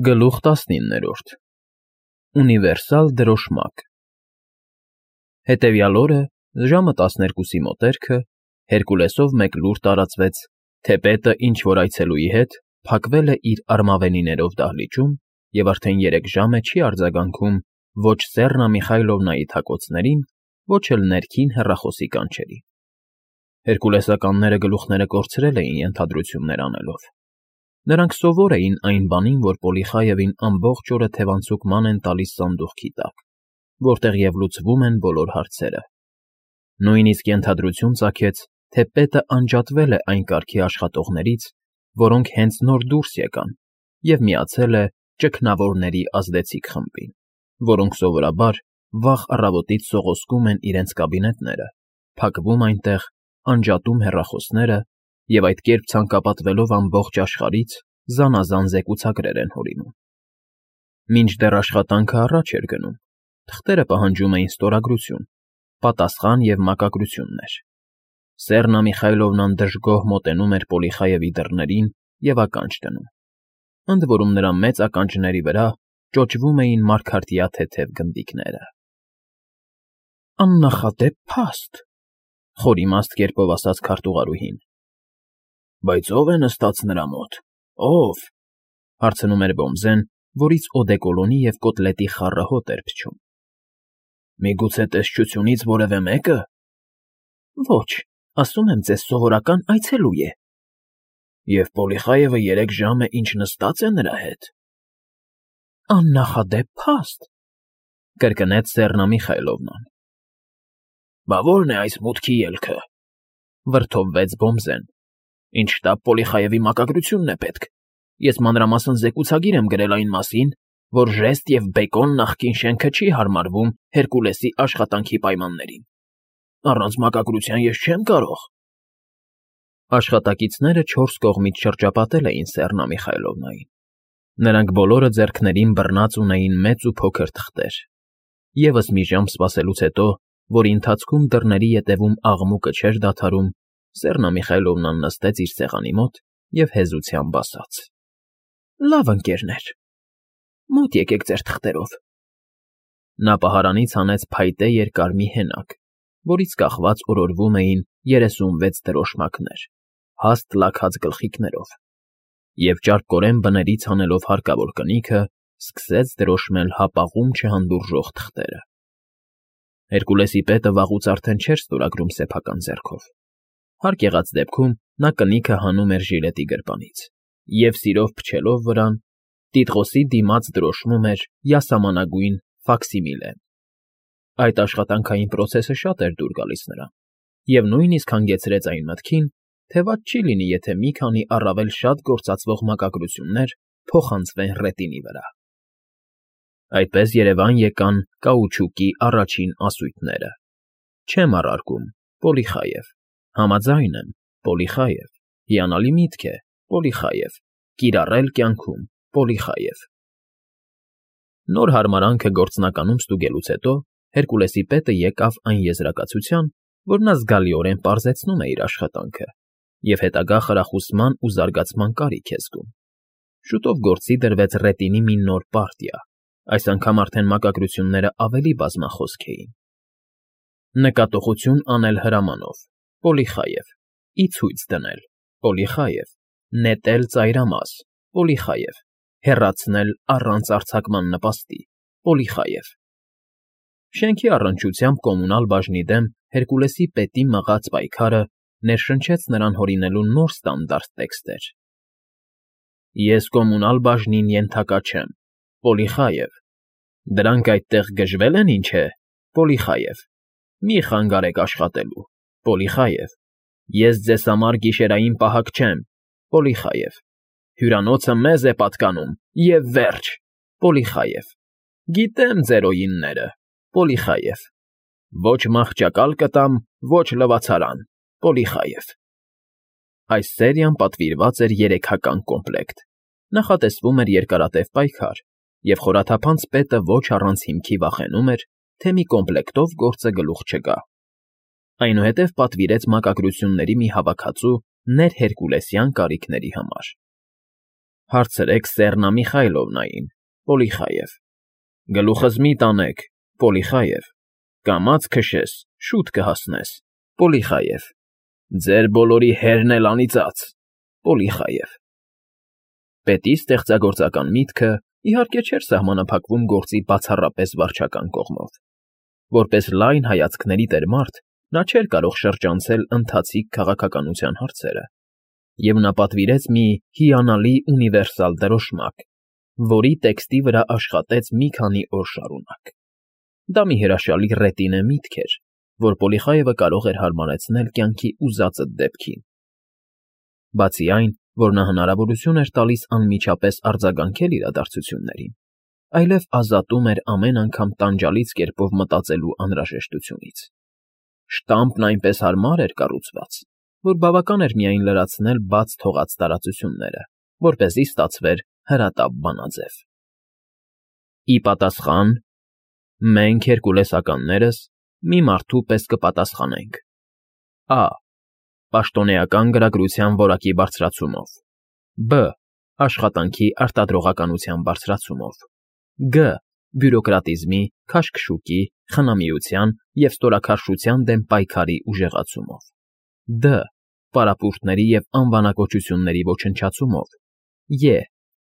Գլուխ 19 Ունիվերսալ դրոշմակ Հետևյալ օրը, ժամը 12-ի մոտերքը, Հերկուլեսով մեկ լուր տարածվեց, թե պետը ինչ֊որ այցելուի հետ փակվել է իր արմավենիներով դահլիճում և արդեն 3 ժամ է չի արձագանքում ոչ Սեռնա Միխայլովնայի թակոցներին, ոչ էլ ներքին հեռախոսի կանչերին։ Հերկուլեսականները գլուխները կորցրել էին ենթադրություններ անելով։ Նրանք սովոր էին այն բանին, որ Պոլիխայևին ամբողջ օրը թևանցուկման են տալիս սանդուղքի տակ, որտեղ և լուծվում են բոլոր հարցերը։ Նույնիսկ ենթադրություն ծագեց, թե պետը անջատվել է այն կարգի աշխատողներից, որոնք հենց նոր դուրս եկան, և միացել է ճգնավորների ազդեցիկ խմբին, որոնք սովորաբար վաղ առավոտից սողոսկում են իրենց կաբինետները, փակվում այնտեղ, անջատում հեռախոսները և այդ կերպ ցանկապատվելով ամբողջ աշխարհից զանազան զեկուցագրեր են հորինում։ Մինչդեռ աշխատանքը առաջ էր գնում, թղթերը պահանջում էին ստորագրություն, պատասխան և մակագրություններ։ Սեռնա Միխայլովնան դժգոհ մոտենում էր Պոլիխայևի դռներին և ականջ դնում։ Ընդ որում նրա մեծ ականջների վրա ճոճվում էին մարգարտյա թեթև գնդիկները։ Աննախադեպ փաստ, խորիմաստ կերպով ասաց քարտուղարուհին։ Բայց ո՞վ է նստած նրա մոտ, ո՞վ, հարցնում էր Բոմզեն, որից օդեկոլոնի և կոտլետի խառը հոտ էր փչում։ Միգուցե տեսչությունից որևէ մեկը։ Ոչ, ասում եմ ձեզ, սովորական այցելու է։ Եվ Պոլիխայևը 3 ժամ է ինչ նստած է նրա հետ։ Աննախադեպ փաստ, կրկնեց Սեռնա Միխայլովնան։ Բա ո՞րն է այս մուտքի ելքը, վրդովվեց Բոմզեն։ Ինչ շտապ Պոլիխայևի մակագրությունն է պետք։ Ես մանրամասն զեկուցագիր եմ գրել այն մասին, որ Ժեստ և Բեկոն նախկին շենքը չի հարմարվում Հերկուլեսի աշխատանքի պայմաններին։ Առանց մակագրության ես չեմ կարող։ Աշխատակիցները 4 կողմից շրջապատել էին Սեռնա Միխայլովնային։ Նրանք բոլորը ձեռքներին բռնած ունեին մեծ ու փոքր թղթեր։ Եվս մի ժամ սպասելուց հետո, որի ընթացքում դռների ետևում աղմուկը չէր դադարում, Սեռնա Միխայլովնան նստեց իր սեղանի մոտ և հեզությամբ ասաց. Լավ, ընկերներ, մոտ եկեք ձեր թղթերով։ Նա պահարանից հանեց փայտե երկար մի հենակ, որից կախված օրորվում էին 36 դրոշմակներ, հաստ լաքած գլխիկներով, և ճարպկորեն բներից հանելով հարկավոր կնիքը, սկսեց դրոշմել հապաղում չհանդուրժող թղթերը։ Հերկուլեսի պետը վաղուց արդեն չէր ստորագրում սեփական ձեռքով։ Հարկ եղած դեպքում նա կնիքը հանում էր ժիլետի գրպանից և, սիրով փչելով վրան, տիտղոսի դիմաց դրոշմում էր յասամանագույն ֆաքսիմիլեն։ Այդ աշխատանքային պրոցեսը շատ էր դուր գալիս նրան, և նույնիսկ հանգեցրեց այն մտքին, թե վատ չի լինի, եթե մի քանի առավել շատ գործածվող մակագրություններ փոխանցվեն ռետինի վրա։ Այդպես երևան եկան կաուչուկի առաջին ասույթները։ Չեմ առարկում, Պոլիխայև, համաձայն եմ, Պոլիխայև, հիանալի միտք է, Պոլիխայև, կիրառել կյանքում, Պոլիխայև։ Նոր հարմարանքը գործնականում ստուգելուց հետո Հերկուլեսի պետը եկավ այն եզրակացության, որ նա զգալիորեն պարզեցնում է իր աշխատանքը և հետագա խրախուսման ու զարգացման կարիք է զգում։ Շուտով գործի դրվեց ռետինի մի նոր պարտիա, այս անգամ արդեն մակագրությունները ավելի բազմախոսք էին։ Նկատողություն անել հրամանով, Պոլիխայև, ի ցույց դնել, Պոլիխայև, նետել ծայրամաս, Պոլիխայև, հեռացնել առանց արձակման նպաստի, Պոլիխայև։ Շենքի առնչությամբ կոմունալ բաժնի դեմ Հերկուլեսի պետի մղած պայքարը ներշնչեց նրան հորինելու նոր ստանդարտ տեքստեր։ Ես կոմունալ բաժնին ենթակա չեմ, Պոլիխայև։ Դրանք այդտեղ գժվել են, ինչ է, Պոլիխայև։ Մի խանգարեք աշխատելու, Պոլիխայև։ Ես ձեզ համար գիշերային պահակ չեմ, Պոլիխայև։ Հյուրանոցը մեզ է պատկանում, և վերջ, Պոլիխայև։ Գիտեմ ձեր օինները, Պոլիխայև։ Ոչ մահճակալ կտամ, ոչ լվացարան, Պոլիխայև։ Այս սերիան պատվիրված էր 3-հական կոմպլեկտ, նախատեսվում էր երկարատև պայքար, և խորաթափանց պետը ոչ առանց հիմքի վախենում էր, թե մի կոմպլեկտով գործը գլուխ չգա։ Այնուհետև պատվիրեց մակագրությունների մի հավաքածու ներհերկուլեսյան կարիքների համար։ Հարցրեք Սեռնա Միխայլովնային, Պոլիխաև։ Գլուխս մի տանեք, Պոլիխաև։ Կամաց քշես, շուտ կհասնես, Պոլիխաև։ Ձեր բոլորի հերն էլ անիծած, Պոլիխաև։ Պետի ստեղծագործական միտքը, իհարկե, չէր սահմանափակվում գործի բացառապես վարչական կողմով։ Որպես լայն հայացքների տեր մարդ, նա չէր կարող շրջանցել ընթացիկ քաղաքականության հարցերը, և նա պատվիրեց մի հիանալի ունիվերսալ դրոշմակ, որի տեքստի վրա աշխատեց մի քանի օր շարունակ։ Դա մի հրաշալի ռետինե միտք էր, որ Պոլիխաևը կարող էր հարմարեցնել կյանքի ուզածդ դեպքին։ Բացի այն, որ նա հնարավորություն էր տալիս անմիջապես արձագանքել իրադարձություններին, այլև ազատում էր ամեն անգամ տանջալից կերպով մտածելու անհրաժեշտությունից։ Շտամպն այնպես հարմար էր կառուցված, որ բավական էր միայն լրացնել բաց թողած տարածությունները, որպեսզի ստացվեր հրատապ բանաձև։ Ի պատասխան, մենք հերկուլեսականներս մի մարդու պես կպատասխանենք. Ա. Պաշտոնեական գրագրության որակի բարձրացումով, Բ. Աշխատանքի արտադրողականության բարձրացումով, Գ. Բյուրոկրատիզմի, քաշքշուկի, խնամիության և ստորաքարշության դեմ պայքարի ուժեղացումով, Դ. Պարապմունքների և անվանակոչությունների ոչնչացումով, Ե.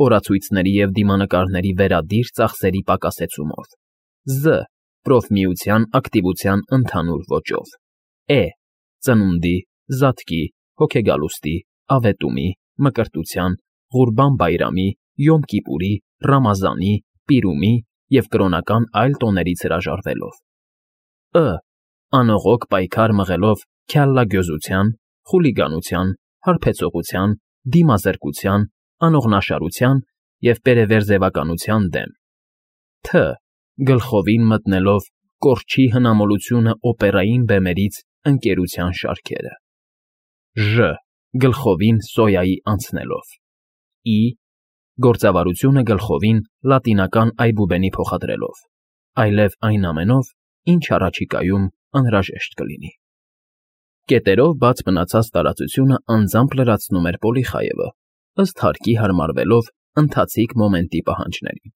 Օրացույցների և դիմանկարների վերադիր ծախսերի պակասեցումով, Զ. Պրոֆմիության ակտիվության ընդհանուր ոճով, Է. Ծնունդի, զատկի, հոգեգալուստի, ավետումի, մկրտության, Ղուրբան բայրամի, Յոմ Կիպուրի, Ռամազանի, Պիրումի և կրոնական այլ տոներից հրաժարվելով, Ը. Անողոք պայքար մղելով քյալլագյոզության, խուլիգանության, հարբեցողության, դիմազրկության, անողնաշարության և պերևերձևականության դեմ, Թ. Գլխովին մտնելով կորչի հնամոլությունը օպերային բեմերից ընկերության շարքերը, Ժ. Գլխովին սոյայի անցնելով, Ի. Գործավարությունը գլխովին լատինական այբուբենի փոխադրելով, այլև այն ամենով, ինչ առաջիկայում անհրաժեշտ կլինի։ Կետերով բաց մնացած տարածությունը անձամբ լրացնում էր Պոլիխաևը, ըստ հարկի հարմարվելով ընթացիկ մոմենտի պահանջներին։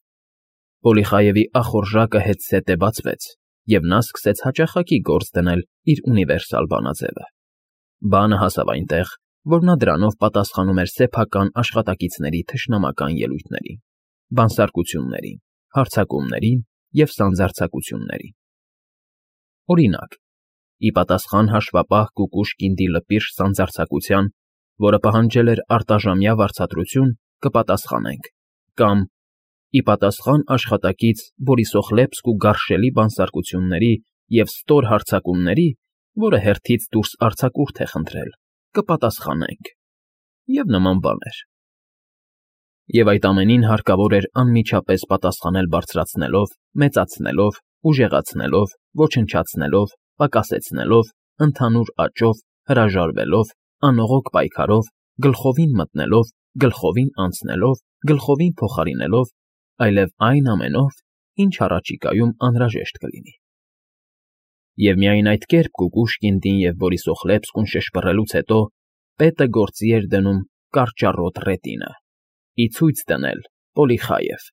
Պոլիխաևի ախորժակը հետզհետե բացվեց, և նա սկսեց հաճախակի գործ դնել իր ունիվերսալ բանաձևը։ Բանը հասավ այնտեղ, որ նա դրանով պատասխանում էր սեփական աշխատակիցների թշնամական ելույթներին, բանսարկություններին, հարձակումներին և սանձարձակություններին։ Օրինակ, ի պատասխան հաշվապահ Կուկուշկինդի լպիրշ սանձարձակության, որը պահանջել էր արտաժամյա վարձատրություն, կպատասխանենք, կամ ի պատասխան աշխատակից Բորիսոխլեպսկու գարշելի բանսարկությունների և ստոր հարձակումների, որը հերթից դուրս արձակուրդ է խնդրել, կպատասխանենք, և նման բաներ։ Եվ այդ ամենին հարկավոր էր անմիջապես պատասխանել բարձրացնելով, մեծացնելով, ուժեղացնելով, ոչնչացնելով, պակասեցնելով, ընդհանուր աճով, հրաժարվելով, անողոք պայքարով, գլխովին մտնելով, գլխովին անցնելով, գլխովին փոխարինելով, այլև այն ամենով, ինչ առաջիկայում անհրաժեշտ կլինի։ Եվ միայն այդ կերպ Կուկուշկինդին և Բորիսոխլեպսկուն շշպռելուց հետո պետը գործի էր դնում կարճառոտ ռետինը, ի ցույց դնել Պոլիխաև,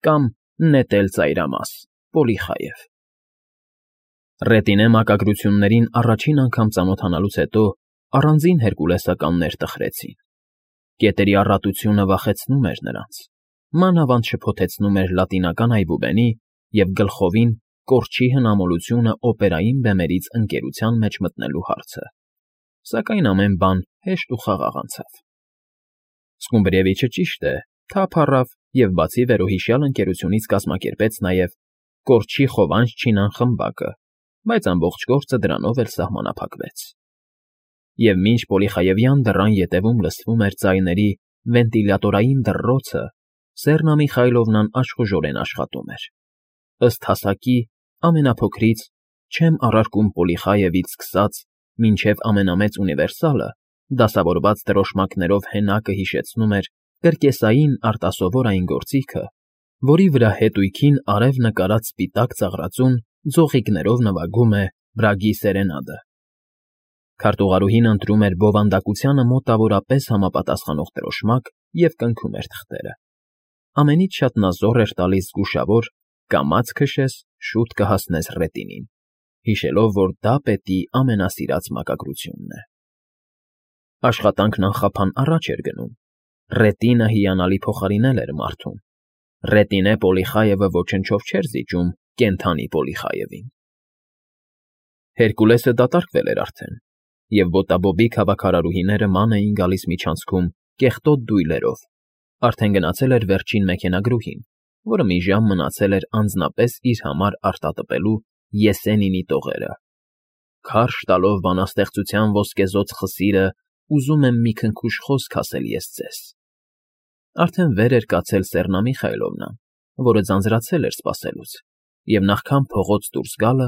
կամ նետել ծայրամաս Պոլիխաև։ Ռետինե մակագրություններին առաջին անգամ ծանոթանալուց հետո առանձին հերկուլեսականներ տխրեցին։ Կետերի առատությունը վախեցնում էր նրանց, մանավանդ շփոթեցնում էր լատինական այբուբենի և գլխովին կորչի հնամոլությունը օպերային բեմերից ընկերության մեջ մտնելու հարցը, սակայն ամեն բան հեշտ ու խաղաղ անցավ։ Սկումբրիևիչը ճիշտ է, թափ առավ և բացի վերոհիշյալ ընկերությունից կազմակերպեց նաև կորչի Խովանջ չինան խմբակը, բայց ամբողջ գործը դրանով էլ սահմանափակվեց։ Եվ մինչ Պոլիխաևյան դռան ետևում լսվում էր ձայների վենտիլյատորային դռռոցը, Սեռնա Միխայլովնան աշխուժորեն աշխատում էր։ Ըստ հասակի, ամենափոքրից, չեմ առարկում Պոլիխաևից սկսած, մինչև ամենամեծ ունիվերսալը, դասավորված դրոշմակներով հենակը հիշեցնում էր կրկեսային արտասովոր այն գործիքը, որի վրա հետույքին արև նկարած սպիտակ ծաղրածուն ձողիկներով նվագում է Բրագի սերենադը։ Քարտուղարուհին ընտրում էր բովանդակությանը մոտավորապես համապատասխանող դրոշմակ և կնքում էր թղթերը։ Ամենից շատ նա զոռ էր տալիս զգուշավոր «կամաց քշես, շուտ կհասնես Ռետինին», հիշելով, որ դա պետի ամենասիրած մակագրությունն է։ Աշխատանքն անխափան առաջ էր գնում։ Ռետինը հիանալի փոխարինել էր մարդուն։ Ռետինե Պոլիխայևը ոչնչով չէր զիջում կենդանի Պոլիխայևին։ Հերկուլեսը դատարկվել էր արդեն, և ոտաբոբիկ հավաքարարուհիները ման էին գալիս միջանցքում կեղտոտ դույլերով, արդեն գնացել էր վերջին մեքենագրուհին, որը մի ժամ մնացել էր անձնապես իր համար արտատպելու Եսենինի տողերը։ Քարշ տալով բանաստեղծության ոսկեզօծ խսիրը, ուզում եմ մի քնքուշ խոսք ասել ես ձեզ։ Արդեն վեր էր կացել Սեռնա Միխայելովնան, որը ձանձրացել էր սպասելուց, և նախքան փողոց դուրս գալը,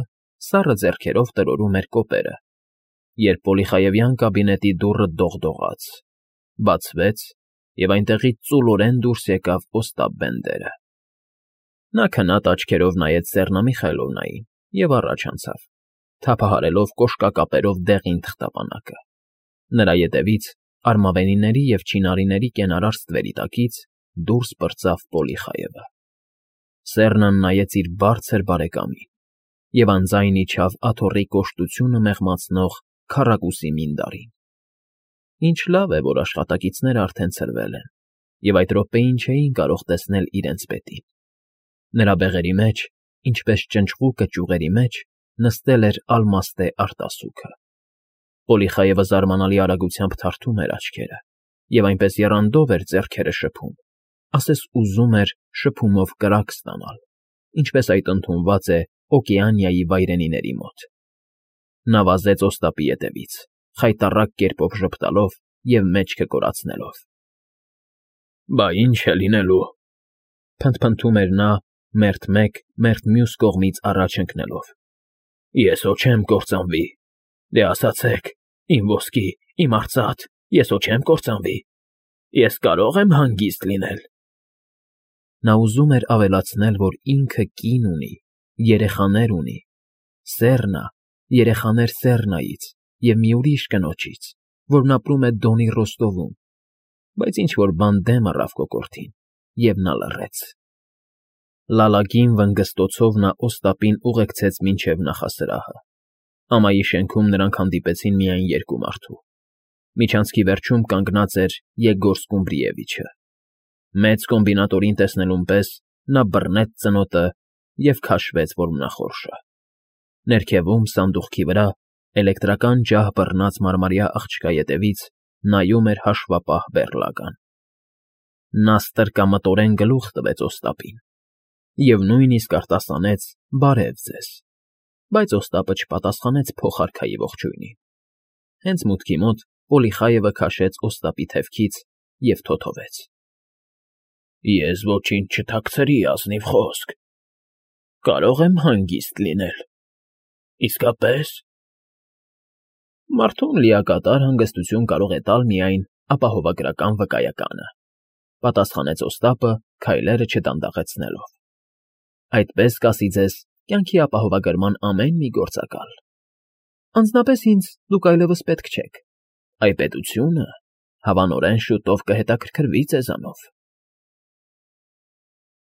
սառը ձեռքերով տրորում էր կոպերը, երբ Պոլիխայևյան կաբինետի դուռը դողդողաց, բացվեց, և այնտեղից ծուլորեն դուրս եկավ Օստապ Բենդերը։ Նա քնած աչքերով նայեց Սեռնա Միխայելովնային և առաջ անցավ, թափահարելով կոշկակապերով դեղին թղթապանակը։ Նրա ետևից, արմավենիների և չինարիների կենարար ստվերի տակից դուրս պրծավ Պոլիխայևը։ Սեռնան նայեց իր բարձր բարեկամին և անձայն իջավ աթոռի կոշտությունը մեղմացնող քառակուսի մինդարին։ Ինչ լավ է, որ աշխատակիցները արդեն ցրվել են, և այդ րոպեին չէին կարող տեսնել իրենց պետին։ Նրա բեղերի մեջ, ինչպես ճնճղուկը ճյուղերի մեջ, նստել էր ալմաստե արտասուքը։ Պոլիխայևը զարմանալի արագությամբ թարթում էր աչքերը և այնպես եռանդով էր ձեռքերը շփում, ասես ուզում էր շփումով կրակ ստանալ, ինչպես այդ ընդունված է Օկեանիայի վայրենիների մոտ։ Նա վազեց Օստապի ետևից, խայտառակ կերպով ժպտալով և մեջքը կորացնելով։ ֊ Բա ի՞նչ է լինելու,֊ փնթփնթում էր նա մերթ մեկ, մերթ մյուս կողմից առաջ ընկնելով։ ֊ Ես հո չեմ կործանվի։ Դե ասացեք, իմ ոսկի, իմ արծաթ, ես հո չեմ կործանվի։ Ես կարո՞ղ եմ հանգիստ լինել։ Նա ուզում էր ավելացնել, որ ինքը կին ունի, երեխաներ ունի, Սեռնա, երեխաներ Սեռնայից և մի ուրիշ կնոջից, որն ապրում է Դոնի Ռոստովում, բայց ինչ֊որ բան դեմ առավ կոկորդին, և նա լռեց։ Լալագին վնգստոցով նա Օստապին ուղեկցեց մինչև նախասրահը։ Ամայի շենքում նրանք հանդիպեցին միայն երկու մարդու։ Միջանցքի վերջում կանգնած էր Եգոր Սկումբրիևիչը։ Մեծ կոմբինատորին տեսնելուն պես նա բռնեց ծնոտը և քաշվեց որմնախորշը։ Ներքևում, սանդուղքի վրա, էլեկտրական ջահ բռնած մարմարյա աղջկա ետևից նայում էր հաշվապահ բեռլագան։ Նա ստրկամտորեն գլուխ տվեց Օստապին և նույնիսկ արտասանեց «Բարև ձեզ», բայց Օստապը չպատասխանեց փոխարքայի ողջույնին։ Հենց մուտքի մոտ Պոլիխայևը քաշեց Օստապի թևքից և թոթվեց. Ես ոչինչ չթաքցրի, ազնիվ խոսք։ Կարո՞ղ եմ հանգիստ լինել։ Իսկապես։ Մարդուն լիակատար հանգստություն կարող է տալ միայն ապահովագրական վկայականը, պատասխանեց Օստապը քայլերը չդանդաղեցնելով։ Այդպես կասի ձեզ կյանքի ապահովագրման ամեն մի գործակալ։ Անձնապես ինձ դուք այլևս պետք չեք։ Այ պետությունը հավանորեն շուտով կհետաքրքրվի ձեզանով։